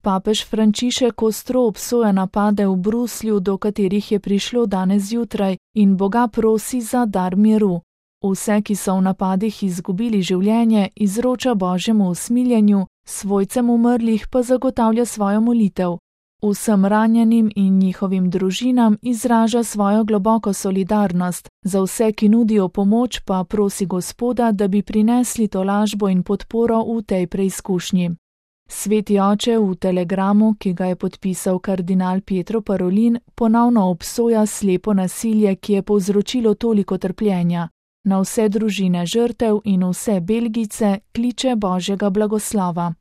Papež Frančišek ostro obsoja napade v Bruslju, do katerih je prišlo danes zjutraj, in Boga prosi za dar miru. Vse, ki so v napadih izgubili življenje, izroča Božjemu usmiljenju, svojcem umrlih pa zagotavlja svojo molitev. Vsem ranjenim in njihovim družinam izraža svojo globoko solidarnost, za vse, ki nudijo pomoč, pa prosi Gospoda, da bi prinesli tolažbo in podporo v tej preizkušnji. Sveti oče v telegramu, ki ga je podpisal kardinal Pietro Parolin, ponovno obsoja slepo nasilje, ki je povzročilo toliko trpljenja. Na vse družine žrtev in vse Belgijce kliče Božjega blagoslova.